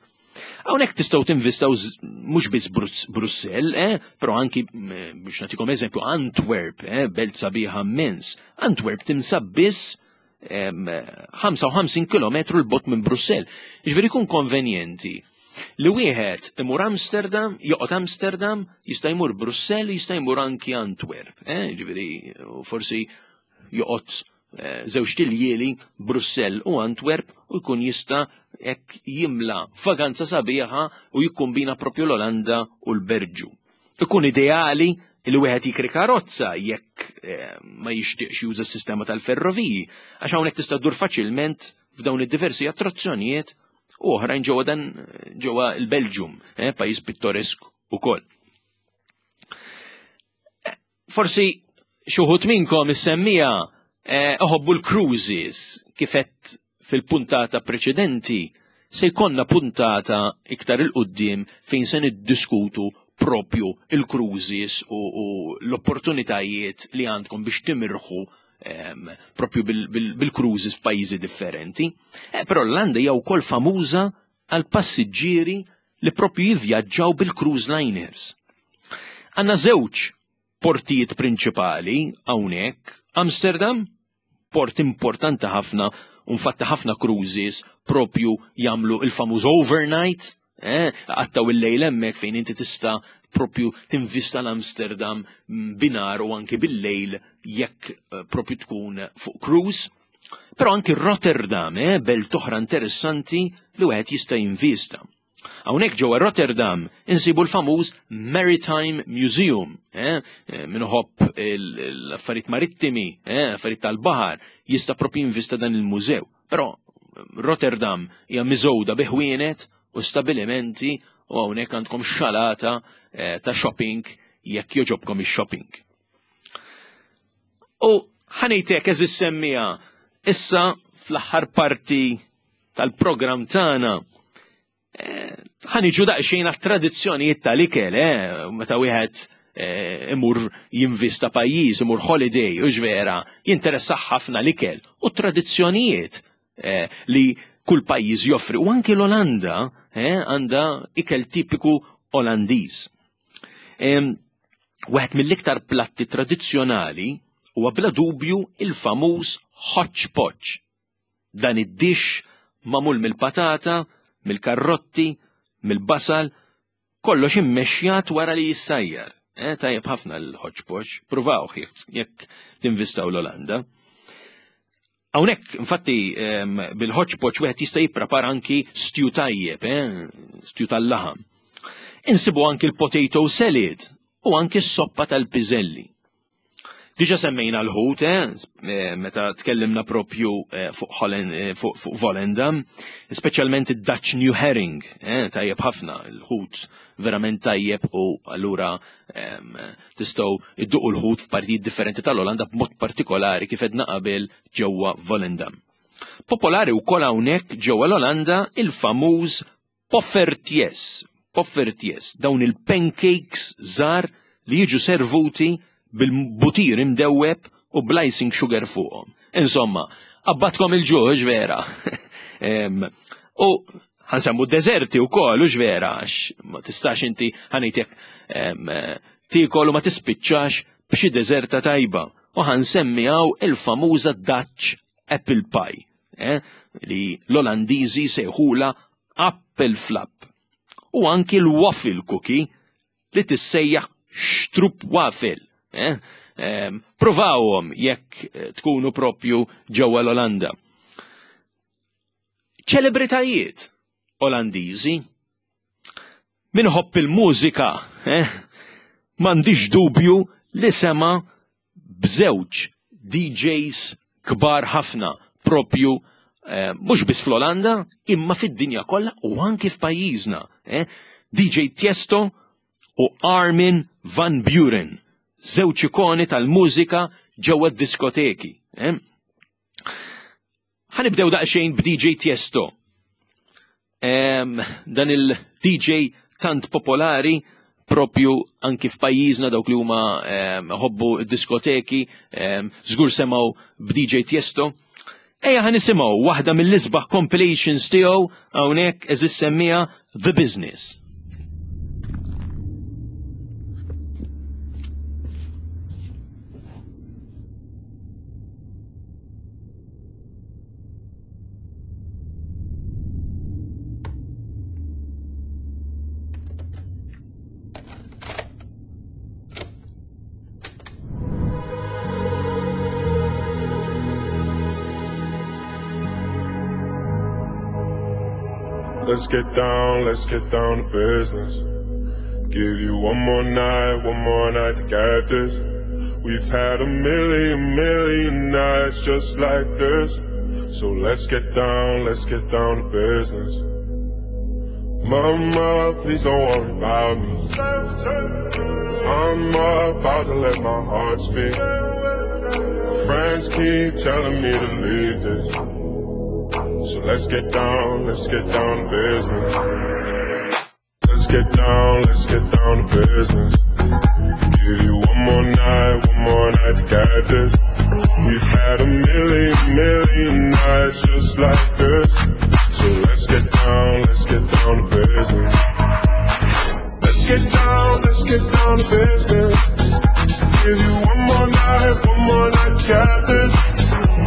Hawnhekk tistgħu tinvistaw mhux biss Brussell, eh, però anki, biex nagħtikom eżempju, Antwerp, eh, belt sabiħa immens. Antwerp tinsab biss ħamsa u ħamsin kilometru 'l bogħod minn Brussell. Jiġifieri jkun konvenjenti li wieħed imur Amsterdam, joqgħod Amsterdam, jista' jmur Brussell, jista' jmur anki Antwerp, eh? Ġifieri forsi joqgħod eh, żewġt iljieli Brussell u Antwerp u jkun jista' hekk jimla vaganza sabiħa u jikkombina propju l-Olanda u l-Belġju. Ikun ideali li wieħed jikri karozza jekk eh, ma jixtieqx juża s-sistema tal-ferroviji, għax hawnhekk tista' ddur faċilment f'dawn id-diversi attrazzjonijiet u oħrajn ġewwa dan ġewwa l-Belġium, eh, pajjiż pittoresk ukoll. Eh, forsi xi wħud minnkom is-semmiegħa eh, iħobbu l-cruises. Kif għedt fil-puntata preċedenti, se jkollna puntata iktar 'il quddiem fejn se niddiskutu propju il-cruises u, u l-opportunitajiet li għandkom biex timirħu um, propju bil-cruises bil, f'pajjiżi differenti. Eh, però l-Olanda hija wkoll famuża għal passiġġieri li propju jivvjaġġaw bil-cruise liners. Għandna żewġ portijiet prinċipali hawnhekk: Amsterdam, port importanti ħafna, infatti ħafna cruises propju jagħmlu il-famuż overnight, eh, qattgħu il-lejl hemmhekk fejn inti tista' propju tinvista l-Amsterdam binhar u anki bil-lejl jekk eh, propju tkun fuq cruise. Però anki Rotterdam, eh, belt oħra interessanti li wieħed jista' jinvista. Hawnhekk ġewwa Rotterdam insibu l-famuż Maritime Museum, eh, min iħobb l-affarijiet marittimi, eh, affarijiet tal-baħar, jista' propju jinvista dan il-mużew. Però Rotterdam hija miżgħuda bi ħwienet u stabilimenti u hawnhekk għandkom xalata eh, ta' shopping jekk jogħġobkom ix-shopping. U ħa ngħidlek, għeżież semmiegħa, issa fl-aħħar parti tal-programm tagħna eh, ħa niġu daqsxejn għat-tradizzjonijiet tal-ikel, eh, meta wieħed eh, imur jinvista pajjiż, imur holiday, u vera, jinteressa ħafna l-ikel u tradizzjonijiet eh, li kull pajjiż joffri. U anki l-Olanda eh, għandha ikel tipiku Olandiż. Wieħed mill-iktar platti tradizzjonali huwa bla dubju il-famuż hodgepodge. Dan id-dish magħmul mill-patata, mill-karrotti, mill-basal, kollox immexjat wara li jissajjar. Eh, tajjeb ħafna l-hodgepodge, provawh jekk jekk tinvistaw l-Olanda. Hawnhekk, infatti, bil-hodgepodge wieħed jista' jipprepara anki stew tajjeb, eh, stew tal-laħam. Insibu anki l-potato salad u anki s-soppa tal-piżelli. Diġa semmejna l-ħut, eh, meta tkellimna propju eh, fuq eh, fuq fuq Volendam, speċjalment id-Dutch New Herring, eh, tajjeb ħafna, l-ħut verament tajjeb, u allura em, tistgħu idduqu l-ħut f'partijiet differenti tal-Olanda, b'mod partikolari, kif għedna qabel, ġewwa Volendam. Popolari wkoll hawnhekk ġewwa l-Olanda il-famuż poffertjes, poffertjes, dawn il-pancakes żgħar li jiġu servuti bil-butir imdewweb u bl-icing sugar fuqhom. Insomma, qabadkom il-ġuħ, vera. Em, U ħa nsemmu deżerti u koll, u vera, għax ma tistax inti, ħa ngħidlek, tiekol u ma tispiċċax b'xi deżerta tajba. U ħa nsemmi hawn il-famuża Dutch apple pie, eh, li l-Olandiżi sejħula appelflap. U anki l-waffle cookie li tissejjaħ stroopwafel. Eh? Em, Provawhom jekk eh, tkunu propju ġewwa l-Olanda. Ċelebritajiet Olandiżi. Min iħobb il-mużika, eh? M'għandix dubju li sema b'żewġ D Js kbar ħafna propju eh, mhux biss fl-Olanda, imma fid-dinja kollha u anki f'pajjiżna. Eh? D J Tiesto u Armin van Buuren, żewġ ikoni tal-mużika ġewwa d-diskoteki. Eh? Ħa nibdew daqsxejn b'D J Tiesto. Em, dan il-D J tant popolari propju anki f'pajjiżna, dawk li huma ħobbu diskoteki, żgur semgħu b'D J Tiesto. Ejja ħa nisimgħu waħda mill-isbaħ compilations tiegħu hawnhekk, għeżież semmiegħa, The Business. Let's get down, let's get down to business. Give you one more night, one more night to get this. We've had a million, million nights just like this. So let's get down, let's get down to business. Mama, please don't worry about me. I'm about to let my heart speak. My friends keep telling me to leave this. So let's get down, let's get down to business. Let's get down, let's get down to business. Give you one more night, one more night to get this. We've had a million, million nights just like this. So let's get down, let's get down to business. Let's get down, let's get down to business. Give you one more night, one more night to get this.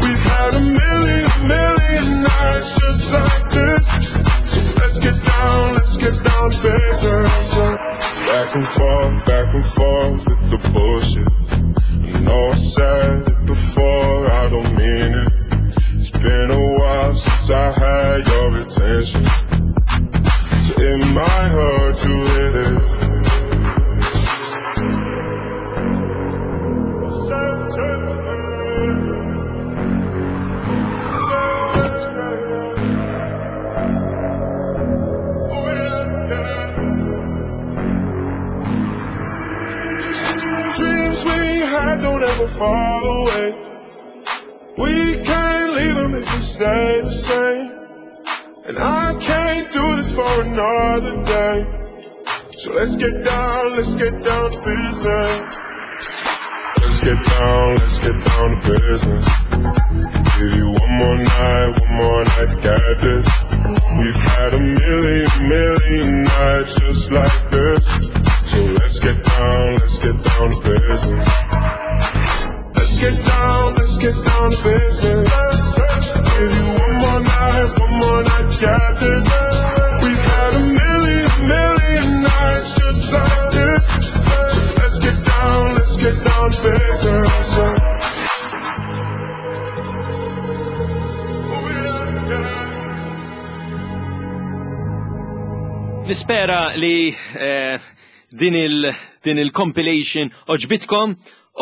We've had a million, million nights just like this. So let's get down, let's get down to business. Back and forth, back and forth with the bullshit. I know I said it before, I don't mean it. It's been a while since I had your attention. So it might hurt to hit it. Dreams we had don't ever fall away. We can't leave them if we stay the same. And I can't do this for another day. So let's get down, let's get down to business. Let's get down, let's get down to business. Give you one more night, one more night to get this. We've had a million, million nights just like this. So let's get down, let's get down to business. Let's get down, let's get down to business. Give you one more night, one more night to get this. We've had a million, million nights just like this. So let's get down, let's get down to business. Oh, yeah, yeah. Nispera li eh, din il din il-compilation għoġbitkom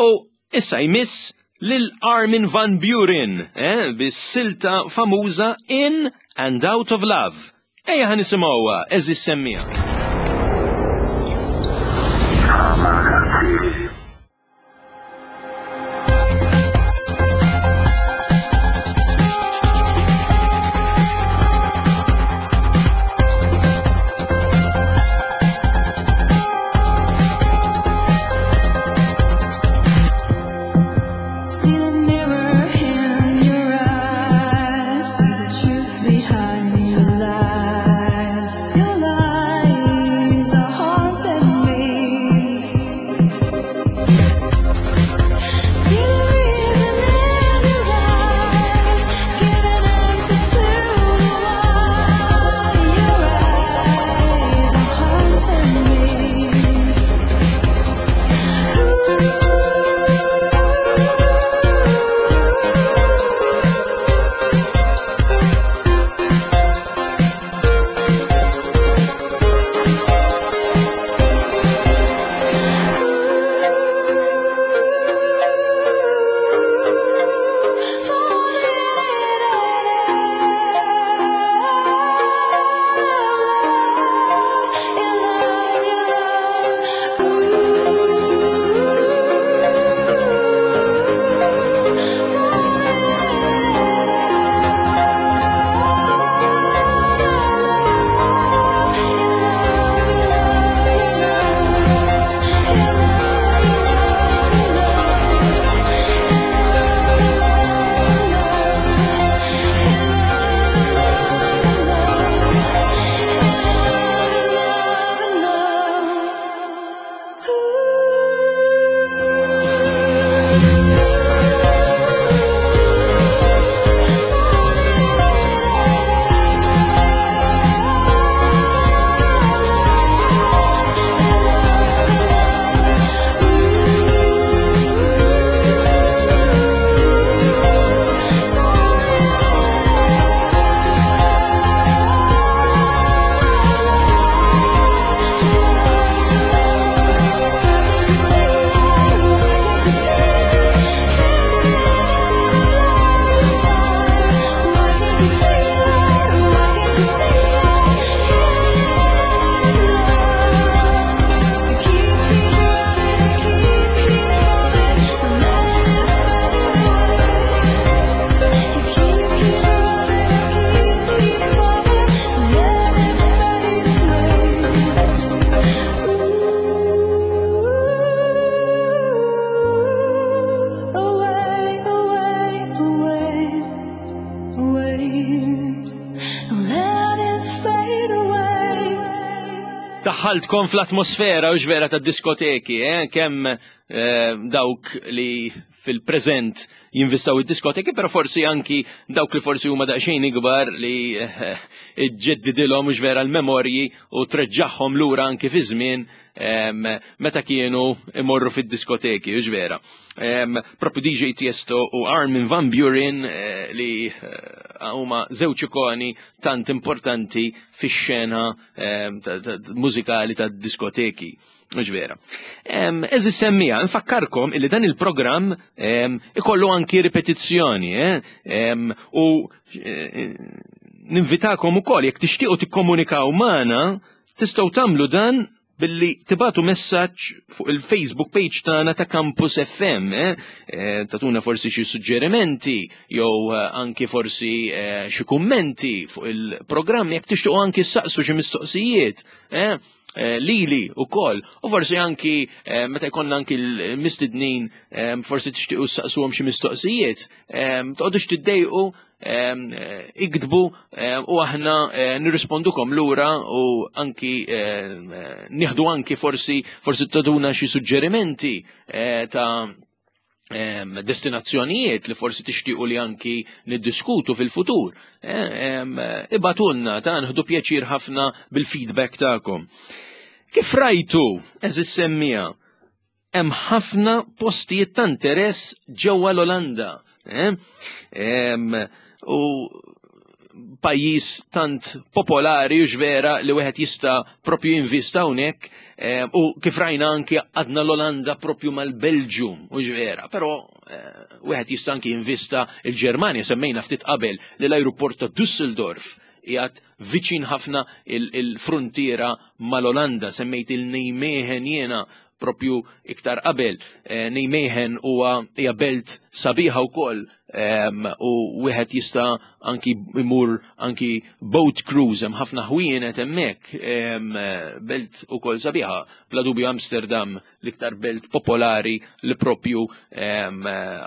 u issa jmiss lil Armin van Buuren, eh, bis-silta famuża In and Out of Love. Ejja ħa nisimgħuha, għeżież semmiegħa. See the mirror in your eyes, see the truth behind the lies. Your lies are haunting me. Daħħaltkom fl-atmosfera u vera ta' diskoteki, eh? Kemm eh, dawk li fil-preżent jinvistaw id-diskoteki, pero forsi anki dawk li forsi huma daqsxejn ikbar li eh, iġġeddidilhom mhux vera l-memorji u treġġagħhom lura anki fi żmien em, meta kienu imorru fid-diskoteki, mhux vera. Em, Propju D J Tiesto u Armin van Buuren eh, li eh, huma żewġ ikoni tant importanti fix-xena em, ta- ta- mużikali tad-diskoteki. Mhux vera. Għeżież semmiegħa, nfakkarkom illi dan il-programm em, ikollu anki ripetizzjoni, eh? Em, u eh, ninvitakom ukoll jekk tixtiequ tikkomunikaw magħna, tistgħu tagħmlu dan billi tibagħtu messaġġ fuq il-Facebook page tagħna ta' Campus F M, eh? Eh, tagħtuna forsi xi suġġerimenti jew eh, anki forsi eh, xi kummenti fuq il-programm, jekk tixtiequ anki ssaqsu xi mistoqsijiet, eh? Eh, lili u koll, u forsi anki eh, meta jkollna anki l-mistednin eh, forsi tixtiequ ssaqsuhom xi mistoqsijiet, eh, toqgħodux tiddejqu, em, eh, iktbu eh, u aħna eh, nirrispondukom lura u anki eh, eh, nieħdu anki forsi forsi tagħtuna xi suġġerimenti eh, ta' em, destinazzjonijiet li forsi tixtiequ li anki niddiskutu fil-futur. Eh, em, Ibagħtulna ta' nieħdu pjaċir ħafna bil-feedback tagħkom. Kif rajtu, għeżież semmiegħa, hemm ħafna postijiet ta' interess ġewwa l-Olanda. Eh? Em, u pajjiż tant popolari u vera li wieħed jista' propju jinvista hawnhekk eh, u kif rajna anki għadna l-Olanda propju mal-Belġium u vera, però eh, wieħed jista' anki jinvista il-Ġermanja. Semmejna ftit qabel li l-ajruport ta' Düsseldorf qiegħed viċin ħafna il-frontiera mal-Olanda, semmejt il-Nijmegen jiena propju iktar qabel. Eh, Nijmegen huwa hija belt sabiħa wkoll em, u wieħed jista' anki imur anki boat cruise, hemm ħafna ħwienet hemmhekk, em, belt ukoll sabiħa. Bla dubju Amsterdam l-iktar belt popolari li propju em,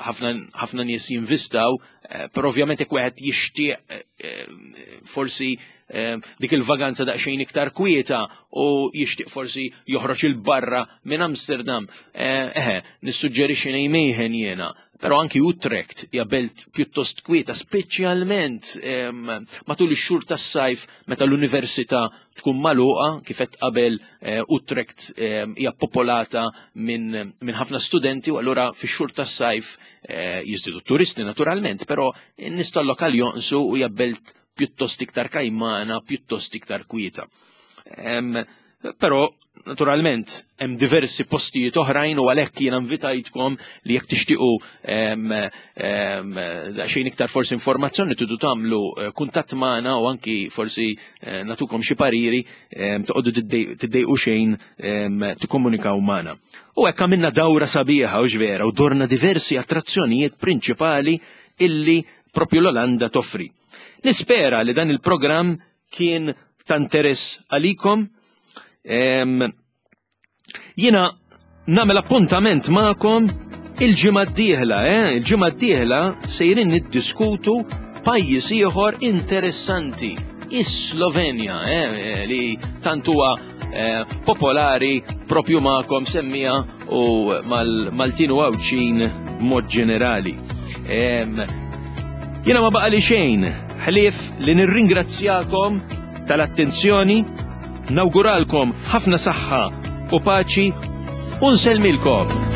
ħafna ħafna nies jinvistaw, eh, però ovvjament jekk wieħed jixtieq eh, eh, forsi eh, dik il-vaganza daqsxejn iktar kwieta u jixtieq forsi joħroġ 'il barra minn Amsterdam, eh, eħe, nissuġġerixxi Nijmegen jiena. Però anki Utrecht hija belt pjuttost kwieta, speċjalment em, matul ix-xhur tas-sajf meta l-università tkun magħluqa, kif qed qabel eh, Utrecht em, hija popolata minn min ħafna studenti u allura fix-xhur tas-sajf eh, jiżdiedu turisti naturalment, però n-nies tal-lokal jonqsu u hija belt pjuttost iktar kajmana, pjuttost iktar kwieta. Em, Però, naturalment, hemm diversi postijiet oħrajn u għalhekk jiena invitajtkom li jekk tixtiequ em, em, daqsxejn iktar forsi informazzjoni tridu tagħmlu eh, kuntatt magħna u anki forsi eh, nagħtukom xi pariri, em, toqgħodu tiddej- tiddejqu xejn em, tikkomunikaw magħna. U hekk għamilna dawra sabiħa u vera u dorna diversi attrazzjonijiet prinċipali illi propju l-Olanda toffri. Nispera li dan il-programm kien ta' interess għalikom. Em, Jiena nagħmel appuntament magħkom il-ġimgħa d-dieħla, eh? Il-ġimgħa d-dieħla sejrin niddiskutu pajjiż ieħor interessanti, is-Slovenja, eh? Li tant huwa eh, popolari propju magħkom semmiegħa u mal-Maltin u Għawdxin b'mod ġenerali. Em, Jiena ma baqali xejn, ħlief li nirringrazzjakom tal-attenzjoni, nawguralkom ħafna saħħa u paċi u nsellmilkom.